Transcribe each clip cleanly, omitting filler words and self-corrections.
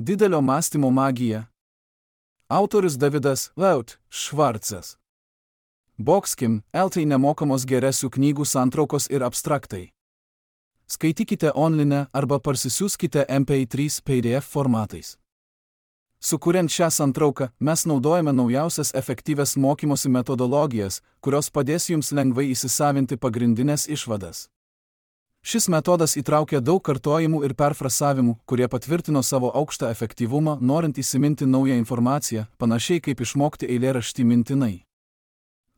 Didelio mąstymo magija. Autorius Davidas Laut Švarcas. Boxkim, LT nemokamos geresių knygų santraukos ir abstraktai. Skaitykite online arba parsisiųskite MP3 PDF formatais. Sukuriant šią santrauką, mes naudojame naujausias efektyvias mokymosi metodologijas, kurios padės jums lengvai įsisavinti pagrindinės išvadas. Šis metodas įtraukia daug kartojimų ir perfrasavimų, kurie patvirtino savo aukštą efektyvumą, norint įsiminti naują informaciją, panašiai kaip išmokti eilėraštį mintinai.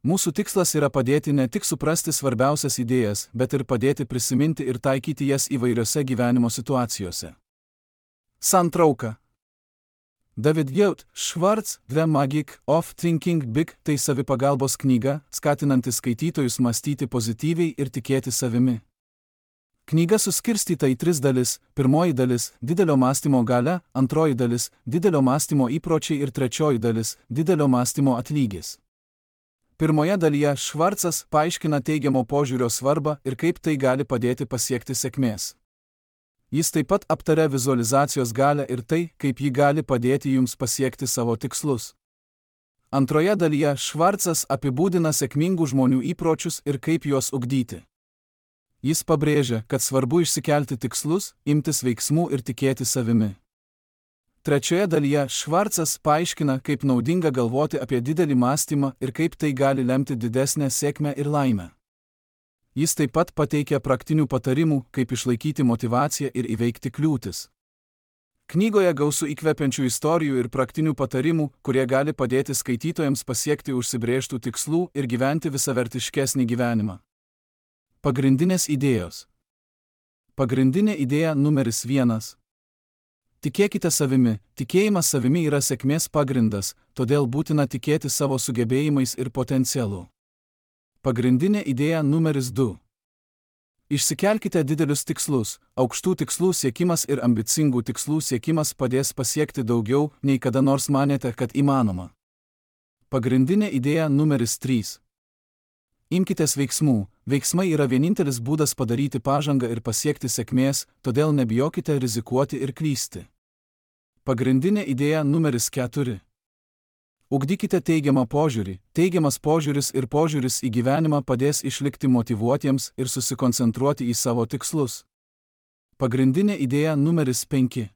Mūsų tikslas yra padėti ne tik suprasti svarbiausias idėjas, bet ir padėti prisiminti ir taikyti jas įvairiose gyvenimo situacijose. Santrauka. David Yaut Schwartz The Magic of Thinking Big tai savipagalbos knyga, skatinanti skaitytojus mąstyti pozityviai ir tikėti savimi. Knyga suskirstyta į 3 dalis. Pirmoji dalis – didelio mąstymo galia, antroji dalis – didelio mąstymo įpročiai ir trečioji dalis – didelio mąstymo atlygis. Pirmoje dalyje Švarcas paaiškina teigiamo požiūrio svarbą ir kaip tai gali padėti pasiekti sėkmės. Jis taip pat aptaria vizualizacijos galią ir tai, kaip ji gali padėti jums pasiekti savo tikslus. Antroje dalyje Švarcas apibūdina sėkmingų žmonių įpročius ir kaip juos ugdyti. Jis pabrėžia, kad svarbu išsikelti tikslus, imtis veiksmų ir tikėti savimi. Trečioje dalyje Švarcas paaiškina, kaip naudinga galvoti apie didelį mąstymą ir kaip tai gali lemti didesnę sėkmę ir laimę. Jis taip pat pateikia praktinių patarimų, kaip išlaikyti motyvaciją ir įveikti kliūtis. Knygoje gausu įkvepiančių istorijų ir praktinių patarimų, kurie gali padėti skaitytojams pasiekti užsibrėžtų tikslų ir gyventi visavertiškesnį gyvenimą. Pagrindinės idėjos. Pagrindinė idėja numeris 1. Tikėkite savimi. Tikėjimas savimi yra sėkmės pagrindas, todėl būtina tikėti savo sugebėjimais ir potencialu. Pagrindinė idėja numeris 2. Išsikelkite didelius tikslus. Aukštų tikslų siekimas ir ambicingų tikslų siekimas padės pasiekti daugiau, nei kada nors manėte, kad įmanoma. Pagrindinė idėja numeris 3. Imkitės veiksmų. Veiksmai yra vienintelis būdas padaryti pažangą ir pasiekti sėkmės, todėl nebijokite rizikuoti ir klysti. Pagrindinė idėja numeris 4. Ugdykite teigiamą požiūrį. Teigiamas požiūris ir požiūris į gyvenimą padės išlikti motyvuotiems ir susikoncentruoti į savo tikslus. Pagrindinė idėja numeris 5.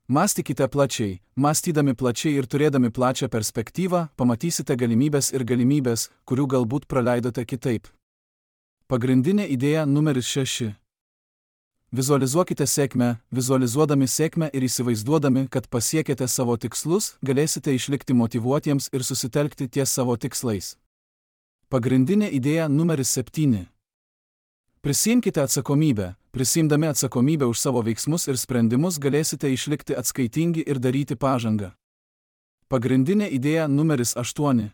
Mąstykite plačiai. Mąstydami plačiai ir turėdami plačią perspektyvą, pamatysite galimybės, kurių galbūt praleidote kitaip. Pagrindinė idėja numeris 6. Vizualizuokite sėkmę. Vizualizuodami sėkmę ir įsivaizduodami, kad pasiekėte savo tikslus, galėsite išlikti motyvuotiems ir susitelkti ties savo tikslais. Pagrindinė idėja numeris 7. Prisiimkite atsakomybę. Prisiimdami atsakomybę už savo veiksmus ir sprendimus galėsite išlikti atskaitingi ir daryti pažangą. Pagrindinė idėja numeris 8.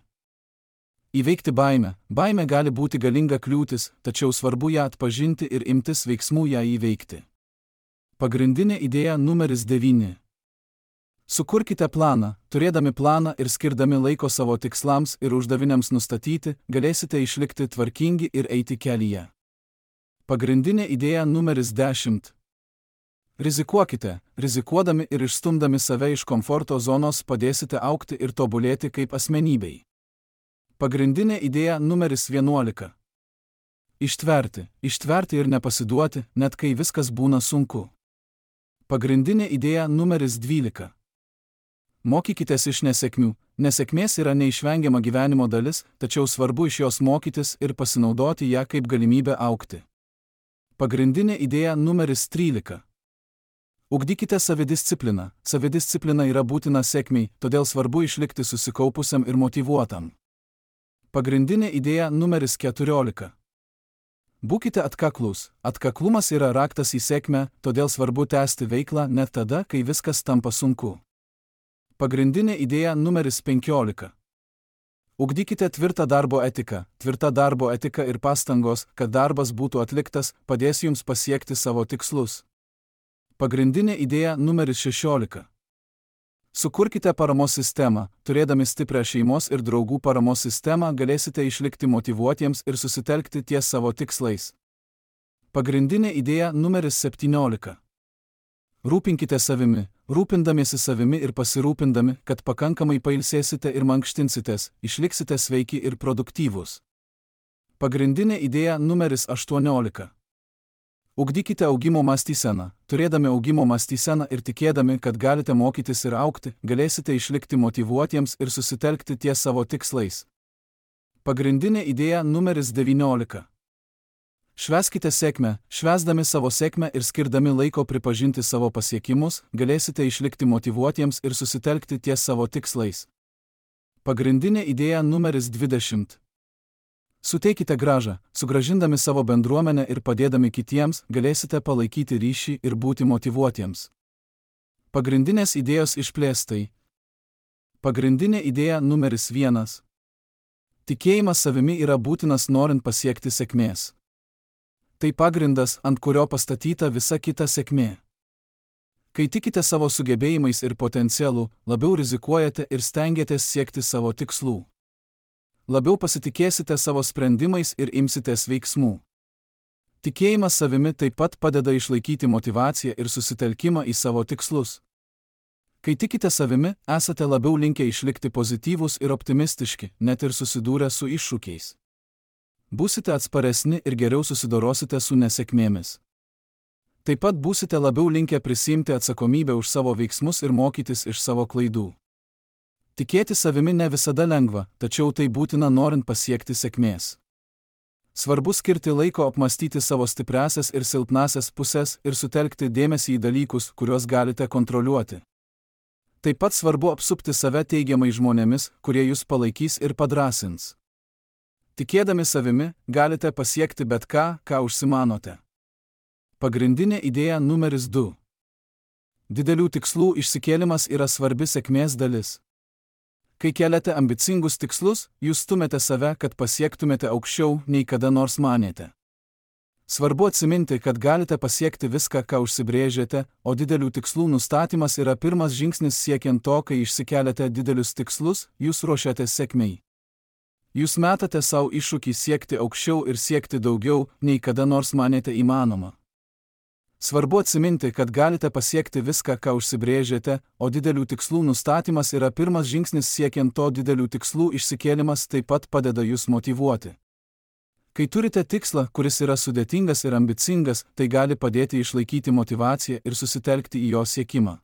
Įveikti baimę. Baimė gali būti galinga kliūtis, tačiau svarbu ją atpažinti ir imtis veiksmų ją įveikti. Pagrindinė idėja numeris 9. Sukurkite planą. Turėdami planą ir skirdami laiko savo tikslams ir uždaviniams nustatyti, galėsite išlikti tvarkingi ir eiti kelyje. Pagrindinė idėja numeris 10. Rizikuokite. Rizikuodami ir išstumdami save iš komforto zonos padėsite augti ir tobulėti kaip asmenybei. Pagrindinė idėja numeris 11. Ištverti. Ištverti ir nepasiduoti, net kai viskas būna sunku. Pagrindinė idėja numeris 12. Mokykitės iš nesėkmių. Nesėkmės yra neišvengiama gyvenimo dalis, tačiau svarbu iš jos mokytis ir pasinaudoti ją kaip galimybę augti. Pagrindinė idėja numeris 13. Ugdykite savidiscipliną. Savidisciplina yra būtina sėkmei, todėl svarbu išlikti susikaupusiam ir motyvuotam. Pagrindinė idėja numeris 14. Būkite atkaklūs. Atkaklumas yra raktas į sėkmę, todėl svarbu tęsti veiklą net tada, kai viskas tampa sunku. Pagrindinė idėja numeris 15. Ugdykite tvirtą darbo etiką. Tvirta darbo etika ir pastangos, kad darbas būtų atliktas, padės jums pasiekti savo tikslus. Pagrindinė idėja numeris 16. Sukurkite paramos sistemą. Turėdami stiprią šeimos ir draugų paramos sistemą galėsite išlikti motyvuotiems ir susitelkti ties savo tikslais. Pagrindinė idėja numeris 17. Rūpinkite savimi, rūpindamiesi savimi ir pasirūpindami, kad pakankamai pailsėsite ir mankštinsitės, išliksite sveiki ir produktyvūs. Pagrindinė idėja numeris 18. Ugdykite augimo mąstyseną. Turėdami augimo mąstyseną ir tikėdami, kad galite mokytis ir augti, galėsite išlikti motyvuotiems ir susitelkti ties savo tikslais. Pagrindinė idėja numeris 19. Švęskite sėkmę. Švęsdami savo sėkmę ir skirdami laiko pripažinti savo pasiekimus, galėsite išlikti motyvuotiems ir susitelkti ties savo tikslais. Pagrindinė idėja numeris 20. Suteikite grąžą. Sugrąžindami savo bendruomenę ir padėdami kitiems, galėsite palaikyti ryšį ir būti motyvuotiems. Pagrindinės idėjos išplėstai. Pagrindinė idėja numeris 1. Tikėjimas savimi yra būtinas norint pasiekti sėkmės. Tai pagrindas, ant kurio pastatyta visa kita sėkmė. Kai tikite savo sugebėjimais ir potencialu, labiau rizikuojate ir stengiatės siekti savo tikslų. Labiau pasitikėsite savo sprendimais ir imsitės veiksmų. Tikėjimas savimi taip pat padeda išlaikyti motyvaciją ir susitelkimą į savo tikslus. Kai tikite savimi, esate labiau linkę išlikti pozityvūs ir optimistiški, net ir susidūrę su iššūkiais. Būsite atsparesni ir geriau susidorosite su nesėkmėmis. Taip pat būsite labiau linkę prisiimti atsakomybę už savo veiksmus ir mokytis iš savo klaidų. Tikėti savimi ne visada lengva, tačiau tai būtina norint pasiekti sėkmės. Svarbu skirti laiko apmastyti savo stipriąsias ir silpnąsias pusės ir sutelkti dėmesį į dalykus, kuriuos galite kontroliuoti. Taip pat svarbu apsupti save teigiamai žmonėmis, kurie jūs palaikys ir padrąsins. Tikėdami savimi, galite pasiekti bet ką, ką užsimanote. Pagrindinė idėja numeris 2. Didelių tikslų išsikėlimas yra svarbi sėkmės dalis. Kai keliate ambicingus tikslus, jūs stumėte save, kad pasiektumėte aukščiau, nei kada nors manėte. Svarbu atsiminti, kad galite pasiekti viską, ką užsibrėžėte, o didelių tikslų nustatymas yra pirmas žingsnis siekiant to, kai išsikeliate didelius tikslus, jūs ruošiatės sėkmei. Jūs metate savo iššūkį siekti aukščiau ir siekti daugiau, nei kada nors manėte įmanoma. Svarbu atsiminti, kad galite pasiekti viską, ką užsibrėžėte, o didelių tikslų nustatymas yra pirmas žingsnis siekiant to didelių tikslų išsikėlimas taip pat padeda jūs motyvuoti. Kai turite tikslą, kuris yra sudėtingas ir ambicingas, tai gali padėti išlaikyti motyvaciją ir susitelkti į jo siekimą.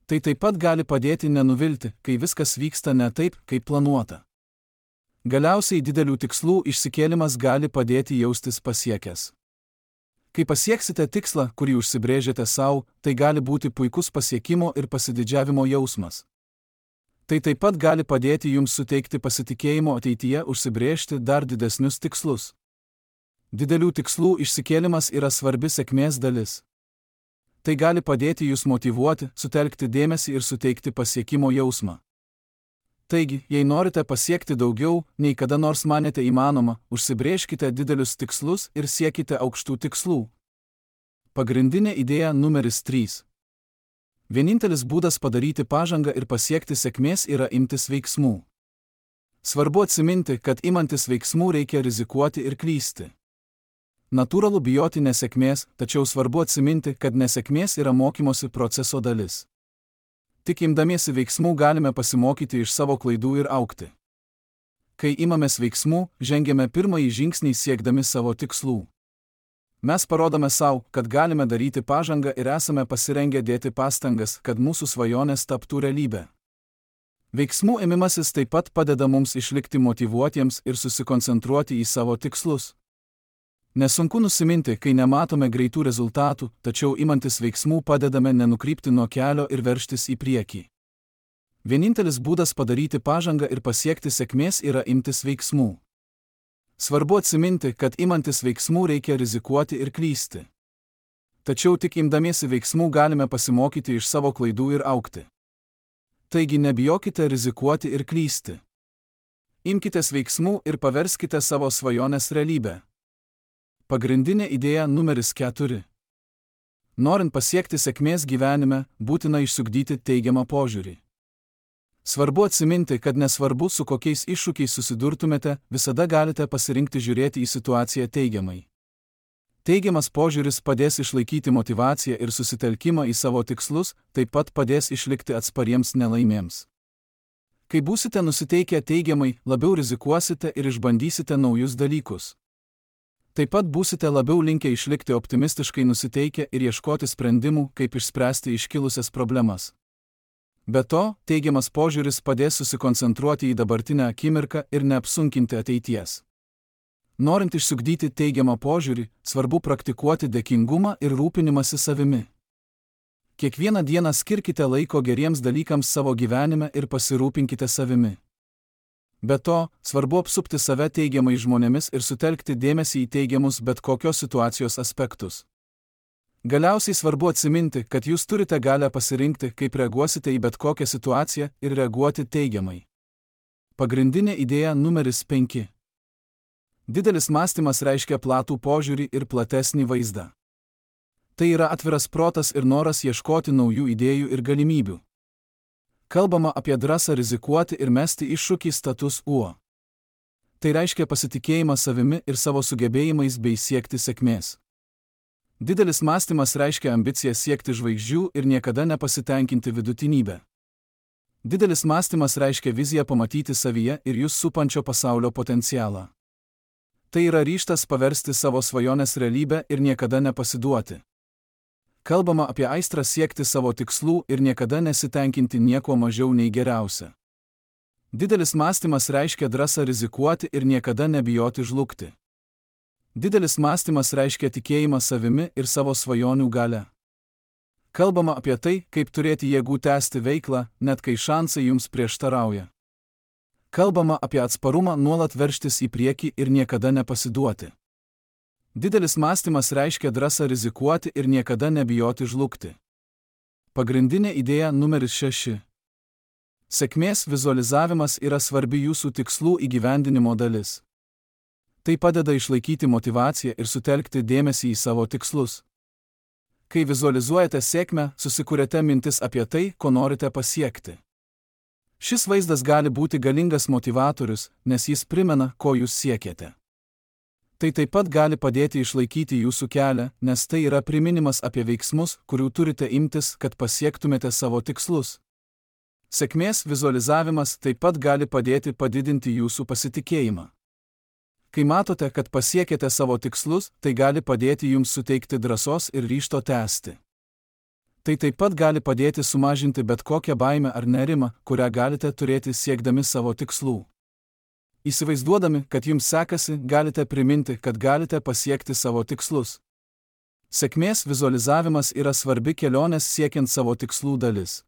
Tai taip pat gali padėti nenuvilti, kai viskas vyksta ne taip, kaip planuota. Galiausiai didelių tikslų išsikėlimas gali padėti jaustis pasiekęs. Kai pasieksite tikslą, kurį užsibrėžėte savo, tai gali būti puikus pasiekimo ir pasididžiavimo jausmas. Tai taip pat gali padėti jums suteikti pasitikėjimo ateityje užsibrėžti dar didesnius tikslus. Didelių tikslų išsikėlimas yra svarbi sėkmės dalis. Tai gali padėti jūs motyvuoti, sutelkti dėmesį ir suteikti pasiekimo jausmą. Taigi, jei norite pasiekti daugiau, nei kada nors manėte įmanoma, užsibrėžkite didelius tikslus ir siekite aukštų tikslų. Pagrindinė idėja numeris 3. Vienintelis būdas padaryti pažangą ir pasiekti sėkmės yra imtis veiksmų. Svarbu atsiminti, kad imantis veiksmų reikia rizikuoti ir klysti. Natūralu bijoti nesėkmės, tačiau svarbu atsiminti, kad nesėkmės yra mokymosi proceso dalis. Tik imdamiesi veiksmų galime pasimokyti iš savo klaidų ir augti. Kai imamės veiksmų, žengiame pirmąjį žingsnį siekdami savo tikslų. Mes parodome savo, kad galime daryti pažangą ir esame pasirengę dėti pastangas, kad mūsų svajonės taptų realybę. Veiksmų ėmimasis taip pat padeda mums išlikti motyvuotiems ir susikoncentruoti į savo tikslus. Nesunku nusiminti, kai nematome greitų rezultatų, tačiau imantis veiksmų padedame nenukrypti nuo kelio ir veržtis į priekį. Vienintelis būdas padaryti pažangą ir pasiekti sėkmės yra imtis veiksmų. Svarbu atsiminti, kad imantis veiksmų reikia rizikuoti ir klysti. Tačiau tik imdamiesi veiksmų galime pasimokyti iš savo klaidų ir augti. Taigi nebijokite rizikuoti ir klysti. Imkitės veiksmų ir paverskite savo svajonės realybę. Pagrindinė idėja numeris 4. Norint pasiekti sėkmės gyvenime, būtina išsiugdyti teigiamą požiūrį. Svarbu atsiminti, kad nesvarbu, su kokiais iššūkiais susidurtumėte, visada galite pasirinkti žiūrėti į situaciją teigiamai. Teigiamas požiūris padės išlaikyti motyvaciją ir susitelkimą į savo tikslus, taip pat padės išlikti atspariems nelaimėms. Kai būsite nusiteikę teigiamai, labiau rizikuosite ir išbandysite naujus dalykus. Taip pat būsite labiau linkę išlikti optimistiškai nusiteikę ir ieškoti sprendimų, kaip išspręsti iškilusias problemas. Be to, teigiamas požiūris padės susikoncentruoti į dabartinę akimirką ir neapsunkinti ateities. Norint išsiugdyti teigiamą požiūrį, svarbu praktikuoti dėkingumą ir rūpinimąsi savimi. Kiekvieną dieną skirkite laiko geriems dalykams savo gyvenime ir pasirūpinkite savimi. Be to, svarbu apsupti save teigiamais žmonėmis ir sutelkti dėmesį į teigiamus bet kokios situacijos aspektus. Galiausiai svarbu atsiminti, kad jūs turite galią pasirinkti, kaip reaguosite į bet kokią situaciją ir reaguoti teigiamai. Pagrindinė idėja numeris 5. Didelis mąstymas reiškia platų požiūrį ir platesnį vaizdą. Tai yra atviras protas ir noras ieškoti naujų idėjų ir galimybių. Kalbama apie drąsą rizikuoti ir mesti iššūkį status quo. Tai reiškia pasitikėjimą savimi ir savo sugebėjimais bei siekti sėkmės. Didelis mąstymas reiškia ambiciją siekti žvaigždžių ir niekada nepasitenkinti vidutinybę. Didelis mąstymas reiškia viziją pamatyti savyje ir jūs supančio pasaulio potencialą. Tai yra ryžtas paversti savo svajonės realybę ir niekada nepasiduoti. Kalbama apie aistrą siekti savo tikslų ir niekada nesitenkinti nieko mažiau nei geriausia. Didelis mąstymas reiškia drąsą rizikuoti ir niekada nebijoti žlugti. Didelis mąstymas reiškia tikėjimą savimi ir savo svajonių gale. Kalbama apie tai, kaip turėti jėgų tęsti veiklą, net kai šansai jums prieštarauja. Kalbama apie atsparumą nuolat veržtis į priekį ir niekada nepasiduoti. Didelis mąstymas reiškia drąsą rizikuoti ir niekada nebijoti žlugti. Pagrindinė idėja numeris 6. Sėkmės vizualizavimas yra svarbi jūsų tikslų įgyvendinimo dalis. Tai padeda išlaikyti motyvaciją ir sutelkti dėmesį į savo tikslus. Kai vizualizuojate sėkmę, susikuriate mintis apie tai, ko norite pasiekti. Šis vaizdas gali būti galingas motyvatorius, nes jis primena, ko jūs siekiate. Tai taip pat gali padėti išlaikyti jūsų kelią, nes tai yra priminimas apie veiksmus, kurių turite imtis, kad pasiektumėte savo tikslus. Sėkmės vizualizavimas taip pat gali padėti padidinti jūsų pasitikėjimą. Kai matote, kad pasiekėte savo tikslus, tai gali padėti jums suteikti drąsos ir ryžto tęsti. Tai taip pat gali padėti sumažinti bet kokią baimę ar nerimą, kurią galite turėti siekdami savo tikslų. Įsivaizduodami, kad jums sekasi, galite priminti, kad galite pasiekti savo tikslus. Sėkmės vizualizavimas yra svarbi kelionės siekiant savo tikslų dalis.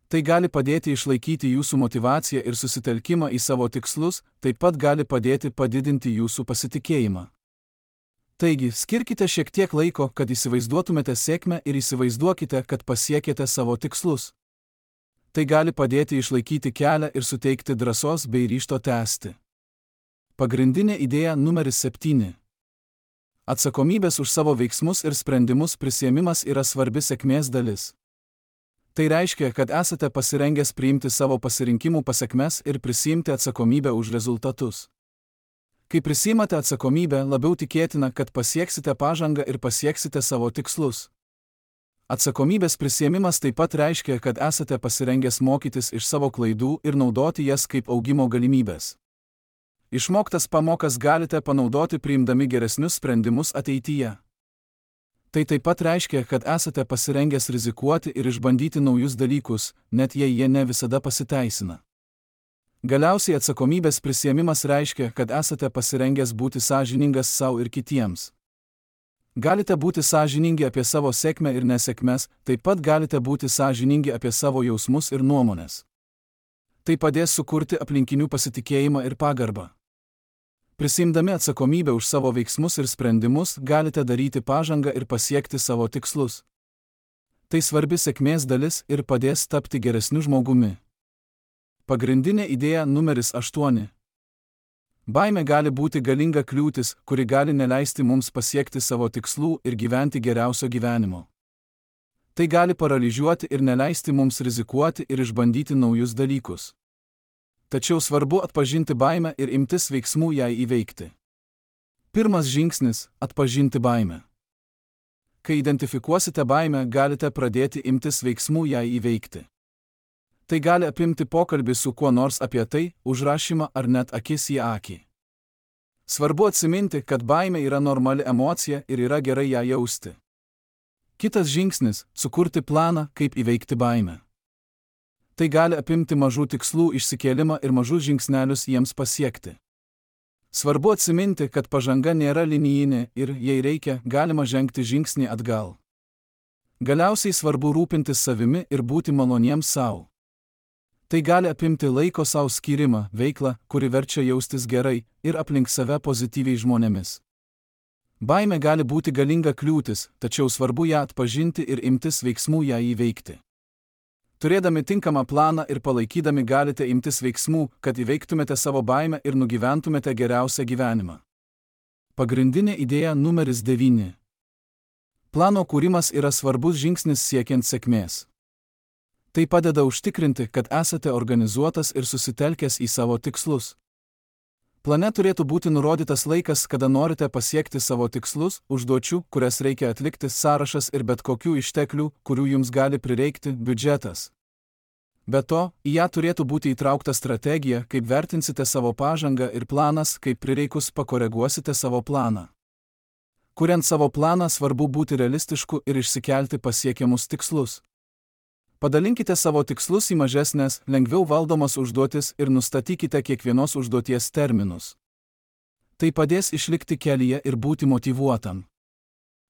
Tai gali padėti išlaikyti jūsų motyvaciją ir susitelkimą į savo tikslus, taip pat gali padėti padidinti jūsų pasitikėjimą. Taigi, skirkite šiek tiek laiko, kad įsivaizduotumėte sėkmę ir įsivaizduokite, kad pasiekėte savo tikslus. Tai gali padėti išlaikyti kelią ir suteikti drąsos bei ryžto tęsti. Pagrindinė idėja numeris 7. Atsakomybės už savo veiksmus ir sprendimus prisiėmimas yra svarbi sėkmės dalis. Tai reiškia, kad esate pasirengęs priimti savo pasirinkimų pasekmes ir prisiimti atsakomybę už rezultatus. Kai prisiimate atsakomybę, labiau tikėtina, kad pasieksite pažangą ir pasieksite savo tikslus. Atsakomybės prisiėmimas taip pat reiškia, kad esate pasirengęs mokytis iš savo klaidų ir naudoti jas kaip augimo galimybės. Išmoktas pamokas galite panaudoti priimdami geresnius sprendimus ateityje. Tai taip pat reiškia, kad esate pasirengęs rizikuoti ir išbandyti naujus dalykus, net jei jie ne visada pasiteisina. Galiausiai atsakomybės prisiėmimas reiškia, kad esate pasirengęs būti sąžiningas sau ir kitiems. Galite būti sąžiningi apie savo sėkmę ir nesėkmes, taip pat galite būti sąžiningi apie savo jausmus ir nuomonės. Tai padės sukurti aplinkinių pasitikėjimą ir pagarbą. Prisiimdami atsakomybę už savo veiksmus ir sprendimus, galite daryti pažangą ir pasiekti savo tikslus. Tai svarbi sėkmės dalis ir padės tapti geresniu žmogumi. Pagrindinė idėja numeris 8. Baimė gali būti galinga kliūtis, kuri gali neleisti mums pasiekti savo tikslų ir gyventi geriausio gyvenimo. Tai gali paralyžiuoti ir neleisti mums rizikuoti ir išbandyti naujus dalykus. Tačiau svarbu atpažinti baimę ir imtis veiksmų jai įveikti. Pirmas žingsnis – atpažinti baimę. Kai identifikuosite baimę, galite pradėti imtis veiksmų ją įveikti. Tai gali apimti pokalbį su kuo nors apie tai, užrašymą ar net akis į akį. Svarbu atsiminti, kad baimė yra normali emocija ir yra gerai ją jausti. Kitas žingsnis – sukurti planą, kaip įveikti baimę. Tai gali apimti mažų tikslų išsikėlimą ir mažus žingsnelius jiems pasiekti. Svarbu atsiminti, kad pažanga nėra linijinė ir, jei reikia, galima žengti žingsnį atgal. Galiausiai svarbu rūpintis savimi ir būti maloniems savo. Tai gali apimti laiko savo skyrimą, veiklą, kuri verčia jaustis gerai, ir aplink save pozityviai žmonėmis. Baimė gali būti galinga kliūtis, tačiau svarbu ją atpažinti ir imtis veiksmų ją įveikti. Turėdami tinkamą planą ir palaikydami galite imtis veiksmų, kad įveiktumėte savo baimę ir nugyventumėte geriausią gyvenimą. Pagrindinė idėja numeris 9. Plano kūrimas yra svarbus žingsnis siekiant sėkmės. Tai padeda užtikrinti, kad esate organizuotas ir susitelkęs į savo tikslus. Plane turėtų būti nurodytas laikas, kada norite pasiekti savo tikslus, užduočių, kurias reikia atlikti, sąrašas ir bet kokių išteklių, kurių jums gali prireikti, biudžetas. Be to, į ją turėtų būti įtraukta strategija, kaip vertinsite savo pažangą ir planas, kaip prireikus pakoreguosite savo planą. Kuriant savo planą, svarbu būti realistišku ir išsikelti pasiekiamus tikslus. Padalinkite savo tikslus į mažesnės, lengviau valdomas užduotis ir nustatykite kiekvienos užduoties terminus. Tai padės išlikti kelyje ir būti motyvuotam.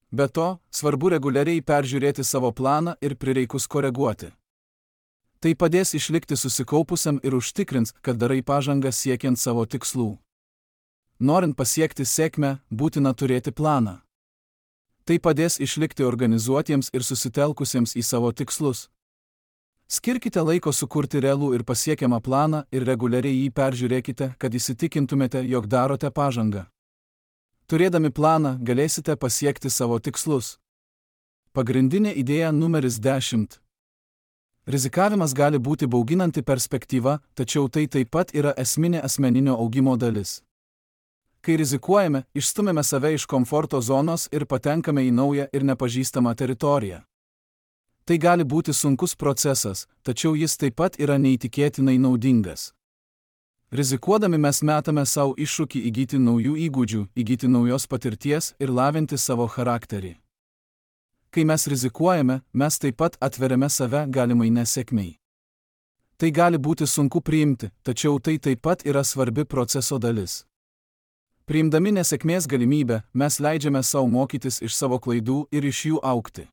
Be to, svarbu reguliariai peržiūrėti savo planą ir prireikus koreguoti. Tai padės išlikti susikaupusiam ir užtikrins, kad darai pažangą siekiant savo tikslų. Norint pasiekti sėkmę, būtina turėti planą. Tai padės išlikti organizuotiems ir susitelkusiems į savo tikslus. Skirkite laiko sukurti realų ir pasiekiamą planą ir reguliariai jį peržiūrėkite, kad įsitikintumėte, jog darote pažangą. Turėdami planą, galėsite pasiekti savo tikslus. Pagrindinė idėja numeris 10. Rizikavimas gali būti bauginanti perspektyva, tačiau tai taip pat yra esminė asmeninio augimo dalis. Kai rizikuojame, išstumėme save iš komforto zonos ir patenkame į naują ir nepažįstamą teritoriją. Tai gali būti sunkus procesas, tačiau jis taip pat yra neįtikėtinai naudingas. Rizikuodami mes metame savo iššūkį įgyti naujų įgūdžių, įgyti naujos patirties ir lavinti savo charakterį. Kai mes rizikuojame, mes taip pat atveriame save galimai nesėkmei. Tai gali būti sunku priimti, tačiau tai taip pat yra svarbi proceso dalis. Priimdami nesėkmės galimybę, mes leidžiame savo mokytis iš savo klaidų ir iš jų augti.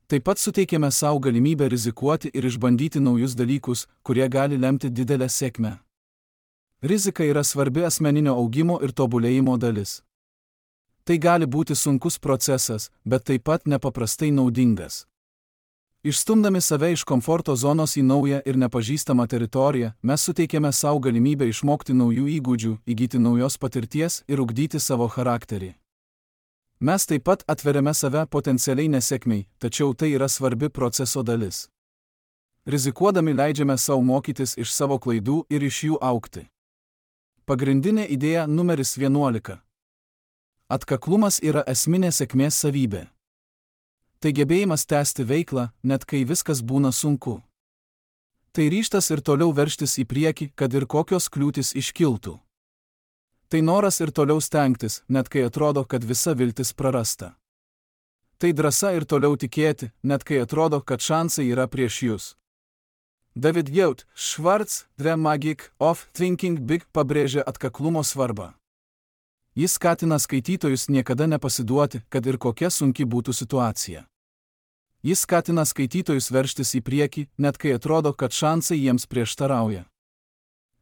Taip pat suteikėme savo galimybę rizikuoti ir išbandyti naujus dalykus, kurie gali lemti didelę sėkmę. Rizika yra svarbi asmeninio augimo ir tobulėjimo dalis. Tai gali būti sunkus procesas, bet taip pat nepaprastai naudingas. Išstumdami save iš komforto zonos į naują ir nepažįstamą teritoriją, mes suteikėme savo galimybę išmokti naujų įgūdžių, įgyti naujos patirties ir ugdyti savo charakterį. Mes taip pat atveriame save potencialiai nesėkmei, tačiau tai yra svarbi proceso dalis. Rizikuodami leidžiame savo mokytis iš savo klaidų ir iš jų augti. Pagrindinė idėja numeris 11. Atkaklumas yra esminė sėkmės savybė. Tai gebėjimas tęsti veiklą, net kai viskas būna sunku. Tai ryžtas ir toliau veržtis į priekį, kad ir kokios kliūtys iškiltų. Tai noras ir toliau stengtis, net kai atrodo, kad visa viltis prarasta. Tai drąsa ir toliau tikėti, net kai atrodo, kad šansai yra prieš jūs. David Yaut Schwartz, The Magic of Thinking Big, pabrėžia atkaklumo svarbą. Jis skatina skaitytojus niekada nepasiduoti, kad ir kokia sunki būtų situacija. Jis skatina skaitytojus veržtis į priekį, net kai atrodo, kad šansai jiems prieštarauja.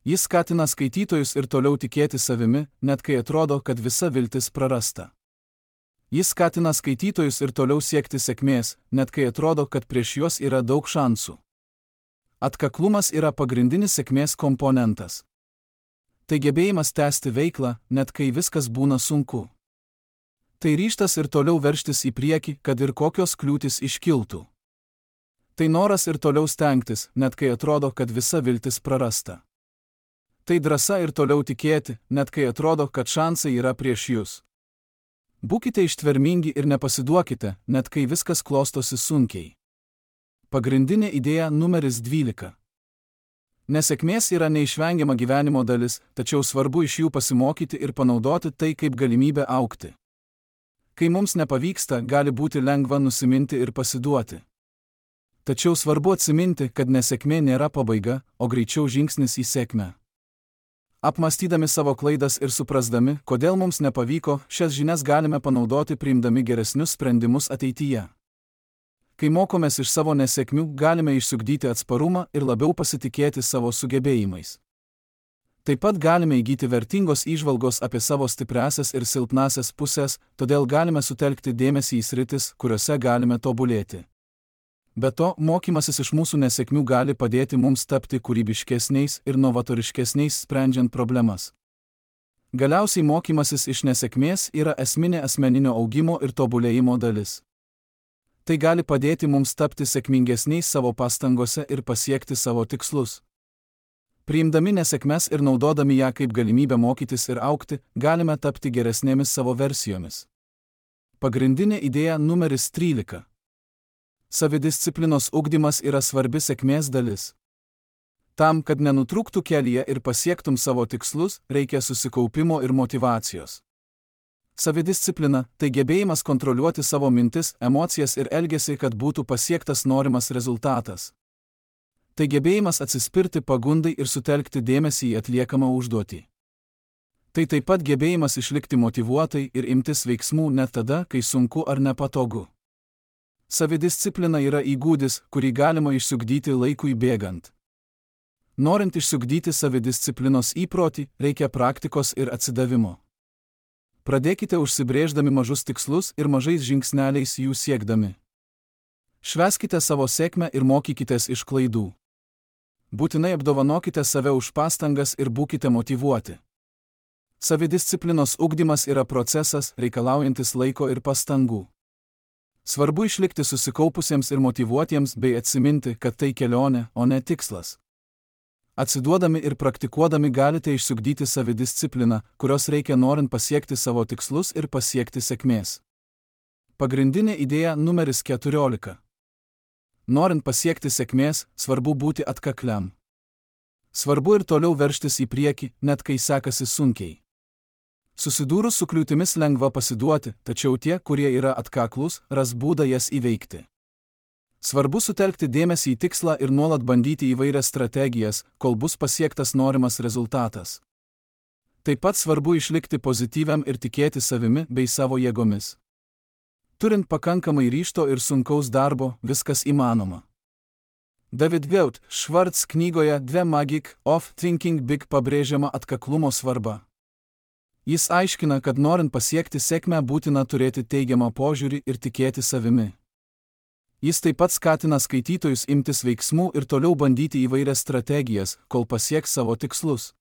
Jis skatina skaitytojus ir toliau tikėti savimi, net kai atrodo, kad visa viltis prarasta. Jis skatina skaitytojus ir toliau siekti sėkmės, net kai atrodo, kad prieš juos yra daug šansų. Atkaklumas yra pagrindinis sėkmės komponentas. Tai gebėjimas tęsti veiklą, net kai viskas būna sunku. Tai ryžtas ir toliau veržtis į priekį, kad ir kokios kliūtys iškiltų. Tai noras ir toliau stengtis, net kai atrodo, kad visa viltis prarasta. Tai drąsa ir toliau tikėti, net kai atrodo, kad šansai yra prieš jūs. Būkite ištvermingi ir nepasiduokite, net kai viskas klostosi sunkiai. Pagrindinė idėja numeris 12. Nesėkmės yra neišvengiama gyvenimo dalis, tačiau svarbu iš jų pasimokyti ir panaudoti tai kaip galimybę augti. Kai mums nepavyksta, gali būti lengva nusiminti ir pasiduoti. Tačiau svarbu atsiminti, kad nesėkmė nėra pabaiga, o greičiau žingsnis į sėkmę. Apmąstydami savo klaidas ir suprasdami, kodėl mums nepavyko, šias žinias galime panaudoti priimdami geresnius sprendimus ateityje. Kai mokomės iš savo nesėkmių, galime išsiugdyti atsparumą ir labiau pasitikėti savo sugebėjimais. Taip pat galime įgyti vertingos įžvalgos apie savo stipriąsias ir silpnąsias pusės, todėl galime sutelkti dėmesį į sritis, kuriuose galime tobulėti. Be to, mokymasis iš mūsų nesėkmių gali padėti mums tapti kūrybiškesniais ir novatoriškesniais sprendžiant problemas. Galiausiai mokymasis iš nesėkmės yra esminė asmeninio augimo ir tobulėjimo dalis. Tai gali padėti mums tapti sėkmingesniais savo pastangose ir pasiekti savo tikslus. Priimdami nesėkmes ir naudodami ją kaip galimybę mokytis ir augti, galime tapti geresnėmis savo versijomis. Pagrindinė idėja numeris 13. Savidisciplinos ugdymas yra svarbi sėkmės dalis. Tam, kad nenutrūktų kelyje ir pasiektum savo tikslus, reikia susikaupimo ir motyvacijos. Savidisciplina – tai gebėjimas kontroliuoti savo mintis, emocijas ir elgesį, kad būtų pasiektas norimas rezultatas. Tai gebėjimas atsispirti pagundai ir sutelkti dėmesį į atliekamą užduotį. Tai taip pat gebėjimas išlikti motyvuotai ir imtis veiksmų net tada, kai sunku ar nepatogu. Savidisciplina yra įgūdis, kurį galima išsiugdyti laikui bėgant. Norint išsiugdyti savidisciplinos įprotį, reikia praktikos ir atsidavimo. Pradėkite užsibrėždami mažus tikslus ir mažais žingsneliais jų siekdami. Švęskite savo sėkmę ir mokykitės iš klaidų. Būtinai apdovanokite save už pastangas ir būkite motyvuoti. Savidisciplinos ugdymas yra procesas, reikalaujantis laiko ir pastangų. Svarbu išlikti susikaupusiems ir motyvuotiems bei atsiminti, kad tai kelionė, o ne tikslas. Atsiduodami ir praktikuodami galite išsiugdyti savidiscipliną, kurios reikia norint pasiekti savo tikslus ir pasiekti sėkmės. Pagrindinė idėja numeris 14. Norint pasiekti sėkmės, svarbu būti atkakliam. Svarbu ir toliau veržtis į priekį, net kai sekasi sunkiai. Susidūrus su kliūtimis lengva pasiduoti, tačiau tie, kurie yra atkaklūs, ras būdą jas įveikti. Svarbu sutelkti dėmesį į tikslą ir nuolat bandyti įvairias strategijas, kol bus pasiektas norimas rezultatas. Taip pat svarbu išlikti pozityviam ir tikėti savimi bei savo jėgomis. Turint pakankamai ryžto ir sunkaus darbo, viskas įmanoma. David Wout Schwartz knygoje The Magic of Thinking Big pabrėžiama atkaklumo svarba. Jis aiškina, kad norint pasiekti sėkmę būtina turėti teigiamą požiūrį ir tikėti savimi. Jis taip pat skatina skaitytojus imtis veiksmų ir toliau bandyti įvairias strategijas, kol pasieks savo tikslus.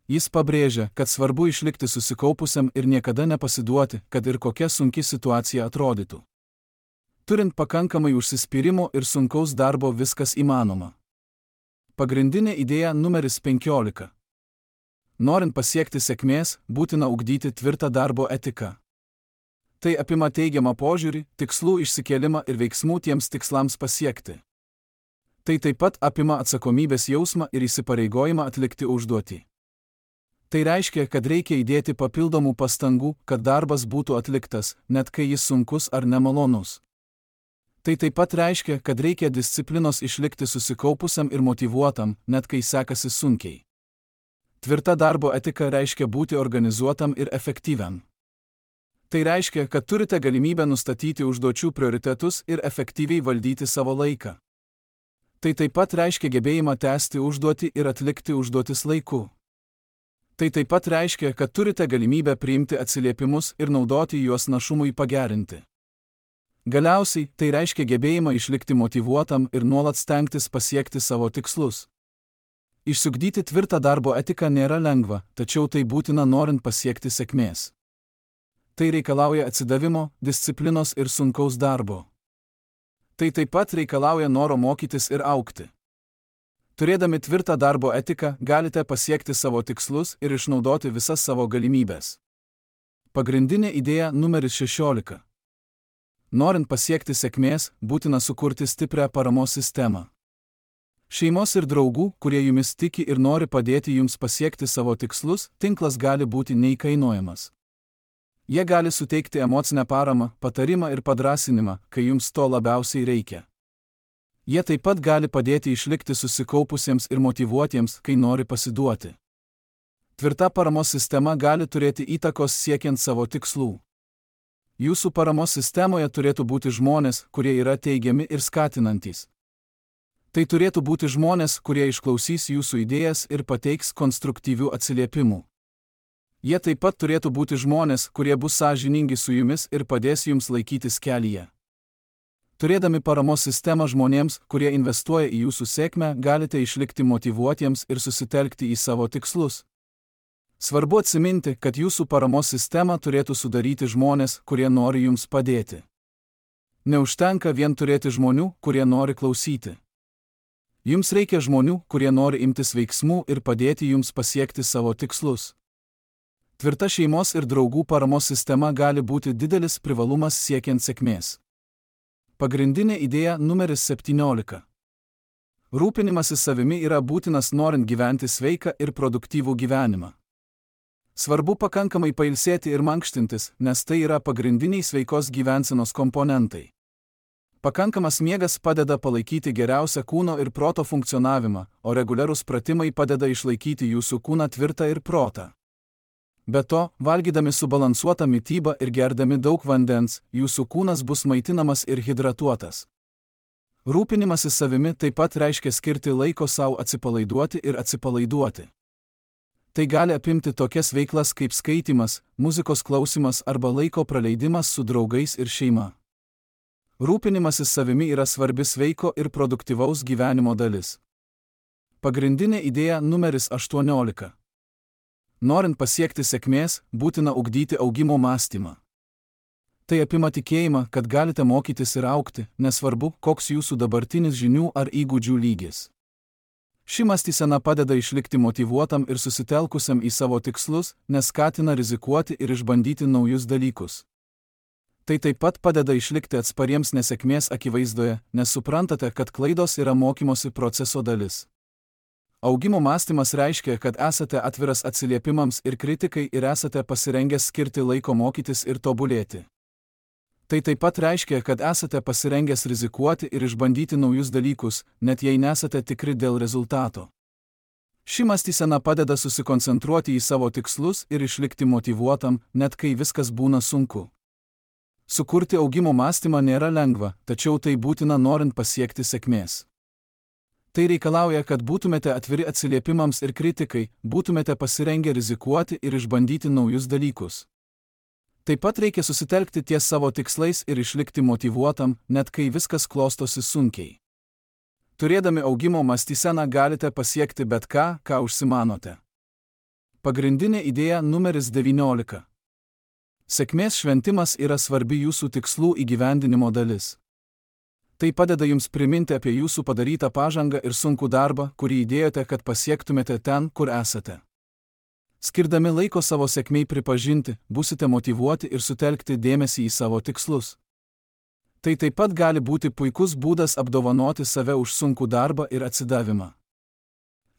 Jis pabrėžia, kad svarbu išlikti susikaupusiam ir niekada nepasiduoti, kad ir kokia sunki situacija atrodytų. Turint pakankamai užsispyrimo ir sunkaus darbo, viskas įmanoma. Pagrindinė idėja numeris 15. Norint pasiekti sėkmės, būtina ugdyti tvirtą darbo etiką. Tai apima teigiamą požiūrį, tikslų išsikėlimą ir veiksmų tiems tikslams pasiekti. Tai taip pat apima atsakomybės jausmą ir įsipareigojimą atlikti užduotį. Tai reiškia, kad reikia įdėti papildomų pastangų, kad darbas būtų atliktas, net kai jis sunkus ar nemalonus. Tai taip pat reiškia, kad reikia disciplinos išlikti susikaupusiam ir motyvuotam, net kai sekasi sunkiai. Tvirta darbo etika reiškia būti organizuotam ir efektyviam. Tai reiškia, kad turite galimybę nustatyti užduočių prioritetus ir efektyviai valdyti savo laiką. Tai taip pat reiškia gebėjimą tęsti užduotį ir atlikti užduotis laiku. Tai taip pat reiškia, kad turite galimybę priimti atsiliepimus ir naudoti juos našumui pagerinti. Galiausiai, tai reiškia gebėjimą išlikti motyvuotam ir nuolat stengtis pasiekti savo tikslus. Išsiugdyti tvirtą darbo etiką nėra lengva, tačiau tai būtina norint pasiekti sėkmės. Tai reikalauja atsidavimo, disciplinos ir sunkaus darbo. Tai taip pat reikalauja noro mokytis ir augti. Turėdami tvirtą darbo etiką, galite pasiekti savo tikslus ir išnaudoti visas savo galimybės. Pagrindinė idėja numeris 16. Norint pasiekti sėkmės, būtina sukurti stiprią paramos sistemą. Šeimos ir draugų, kurie jumis tiki ir nori padėti jums pasiekti savo tikslus, tinklas gali būti neįkainojamas. Jie gali suteikti emocinę paramą, patarimą ir padrąsinimą, kai jums to labiausiai reikia. Jie taip pat gali padėti išlikti susikaupusiems ir motyvuotiems, kai nori pasiduoti. Tvirta paramos sistema gali turėti įtakos siekiant savo tikslų. Jūsų paramos sistemoje turėtų būti žmonės, kurie yra teigiami ir skatinantys. Tai turėtų būti žmonės, kurie išklausys jūsų idėjas ir pateiks konstruktyvių atsiliepimų. Jie taip pat turėtų būti žmonės, kurie bus sąžiningi su jumis ir padės jums laikytis kelyje. Turėdami paramos sistemą žmonėms, kurie investuoja į jūsų sėkmę, galite išlikti motyvuotiems ir susitelkti į savo tikslus. Svarbu atsiminti, kad jūsų paramos sistemą turėtų sudaryti žmonės, kurie nori jums padėti. Neužtenka vien turėti žmonių, kurie nori klausyti. Jums reikia žmonių, kurie nori imtis veiksmų ir padėti jums pasiekti savo tikslus. Tvirta šeimos ir draugų paramos sistema gali būti didelis privalumas siekiant sėkmės. Pagrindinė idėja numeris 17. Rūpinimasis savimi yra būtinas norint gyventi sveiką ir produktyvų gyvenimą. Svarbu pakankamai pailsėti ir mankštintis, nes tai yra pagrindiniai sveikos gyvensenos komponentai. Pakankamas miegas padeda palaikyti geriausią kūno ir proto funkcionavimą, o reguliarūs pratimai padeda išlaikyti jūsų kūną tvirtą ir protą. Be to, valgydami subalansuotą mitybą ir gerdami daug vandens, jūsų kūnas bus maitinamas ir hidratuotas. Rūpinimasis savimi taip pat reiškia skirti laiko savo atsipalaiduoti ir atsipalaiduoti. Tai gali apimti tokias veiklas kaip skaitymas, muzikos klausimas arba laiko praleidimas su draugais ir šeima. Rūpinimasis savimi yra svarbi sveiko ir produktyvaus gyvenimo dalis. Pagrindinė idėja numeris 18. Norint pasiekti sėkmės, būtina ugdyti augimo mąstymą. Tai apima tikėjimą, kad galite mokytis ir augti, nesvarbu, koks jūsų dabartinis žinių ar įgūdžių lygis. Ši mąstysena padeda išlikti motyvuotam ir susitelkusiam į savo tikslus, nes skatina rizikuoti ir išbandyti naujus dalykus. Tai taip pat padeda išlikti atspariems nesėkmės akivaizdoje, nes suprantate, kad klaidos yra mokymosi proceso dalis. Augimo mąstymas reiškia, kad esate atviras atsiliepimams ir kritikai ir esate pasirengęs skirti laiko mokytis ir tobulėti. Tai taip pat reiškia, kad esate pasirengęs rizikuoti ir išbandyti naujus dalykus, net jei nesate tikri dėl rezultato. Ši mąstysena padeda susikoncentruoti į savo tikslus ir išlikti motyvuotam, net kai viskas būna sunku. Sukurti augimo mąstymą nėra lengva, tačiau tai būtina norint pasiekti sėkmės. Tai reikalauja, kad būtumėte atviri atsiliepimams ir kritikai, būtumėte pasirengę rizikuoti ir išbandyti naujus dalykus. Taip pat reikia susitelkti ties savo tikslais ir išlikti motyvuotam, net kai viskas klostosi sunkiai. Turėdami augimo mąstyseną galite pasiekti bet ką, ką užsimanote. Pagrindinė idėja numeris 19. Sėkmės šventimas yra svarbi jūsų tikslų įgyvendinimo dalis. Tai padeda jums priminti apie jūsų padarytą pažangą ir sunkų darbą, kurį įdėjote, kad pasiektumėte ten, kur esate. Skirdami laiko savo sėkmei pripažinti, būsite motyvuoti ir sutelkti dėmesį į savo tikslus. Tai taip pat gali būti puikus būdas apdovanoti save už sunkų darbą ir atsidavimą.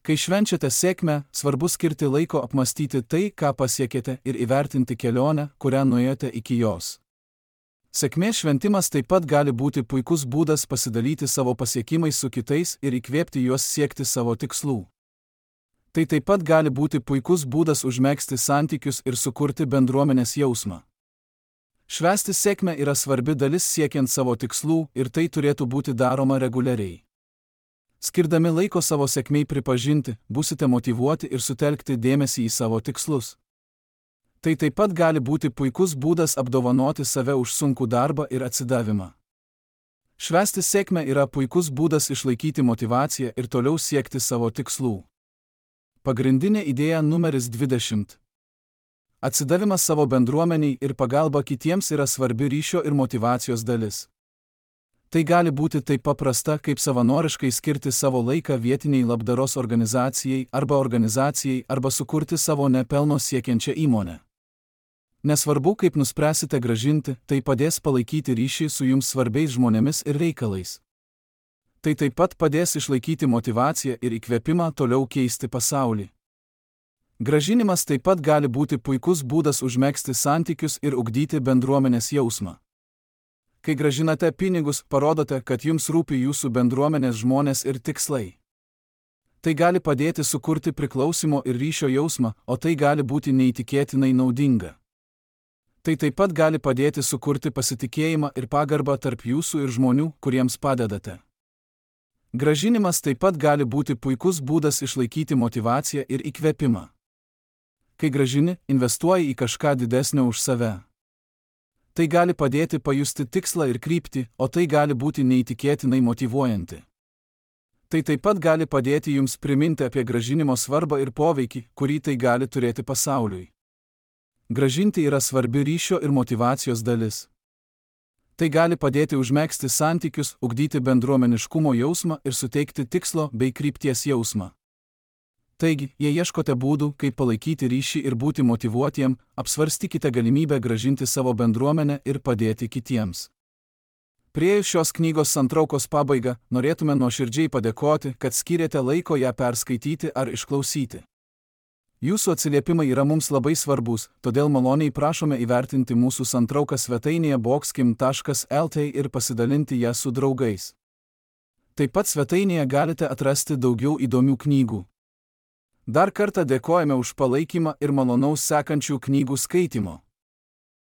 Kai švenčiate sėkmę, svarbu skirti laiko apmastyti tai, ką pasiekėte ir įvertinti kelionę, kurią nuėjote iki jos. Sėkmės šventimas taip pat gali būti puikus būdas pasidalyti savo pasiekimais su kitais ir įkvėpti juos siekti savo tikslų. Tai taip pat gali būti puikus būdas užmegzti santykius ir sukurti bendruomenės jausmą. Švęsti sėkmę yra svarbi dalis siekiant savo tikslų ir tai turėtų būti daroma reguliariai. Skirdami laiko savo sėkmei pripažinti, būsite motyvuoti ir sutelkti dėmesį į savo tikslus. Tai taip pat gali būti puikus būdas apdovanoti save už sunkų darbą ir atsidavimą. Švęsti sėkmę yra puikus būdas išlaikyti motyvaciją ir toliau siekti savo tikslų. Pagrindinė idėja numeris 20. Atsidavimas savo bendruomeniai ir pagalba kitiems yra svarbi ryšio ir motyvacijos dalis. Tai gali būti taip paprasta, kaip savanoriškai skirti savo laiką vietiniai labdaros organizacijai arba sukurti savo nepelno siekiančią įmonę. Nesvarbu, kaip nuspręsite gražinti, tai padės palaikyti ryšį su jums svarbiais žmonėmis ir reikalais. Tai taip pat padės išlaikyti motyvaciją ir įkvėpimą toliau keisti pasaulį. Gražinimas taip pat gali būti puikus būdas užmegzti santykius ir ugdyti bendruomenės jausmą. Kai gražinate pinigus, parodote, kad jums rūpi jūsų bendruomenės žmonės ir tikslai. Tai gali padėti sukurti priklausimo ir ryšio jausmą, o tai gali būti neįtikėtinai naudinga. Tai taip pat gali padėti sukurti pasitikėjimą ir pagarbą tarp jūsų ir žmonių, kuriems padedate. Gražinimas taip pat gali būti puikus būdas išlaikyti motyvaciją ir įkvėpimą. Kai gražini, investuoji į kažką didesnio už save. Tai gali padėti pajusti tikslą ir kryptį, o tai gali būti neįtikėtinai motyvuojanti. Tai taip pat gali padėti jums priminti apie gražinimo svarbą ir poveikį, kurį tai gali turėti pasauliui. Gražinti yra svarbi ryšio ir motyvacijos dalis. Tai gali padėti užmegzti santykius, ugdyti bendruomeniškumo jausmą ir suteikti tikslo bei krypties jausmą. Taigi, jei ieškote būdų, kaip palaikyti ryšį ir būti motyvuotiem, apsvarstykite galimybę gražinti savo bendruomenę ir padėti kitiems. Priėjus šios knygos santraukos pabaigą, norėtume nuoširdžiai padėkoti, kad skyrėte laiko ją perskaityti ar išklausyti. Jūsų atsiliepimai yra mums labai svarbus, todėl maloniai prašome įvertinti mūsų santrauką svetainėje boxkim.lt ir pasidalinti ją su draugais. Taip pat svetainėje galite atrasti daugiau įdomių knygų. Dar kartą dėkojame už palaikymą ir malonaus sekančių knygų skaitimo.